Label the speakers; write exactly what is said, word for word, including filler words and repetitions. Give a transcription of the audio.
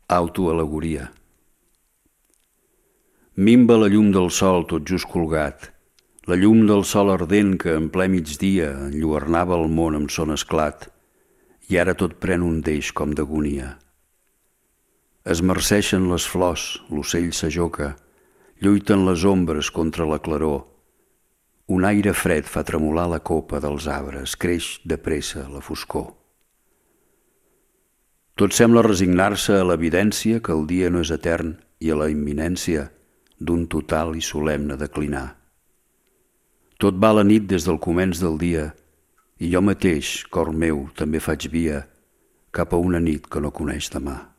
Speaker 1: Autoalegoria. Minva la llum del sol tot just colgat, la llum del sol ardent que en ple migdia enlluernava el món amb son esclat, i ara tot pren un deix com d'agonia. Es marceixen les flors, l'ocell s'ajoca, lluiten les ombres contra la claror. Un aire fred fa tremolar la copa dels arbres, creix de pressa la foscor. Tot sembla resignar-se a l'evidència que el dia no és etern i a la imminència d'un total i solemne declinar. Tot va a la nit des del començ del dia i jo mateix, cor meu, també faig via cap a una nit que no coneix demà.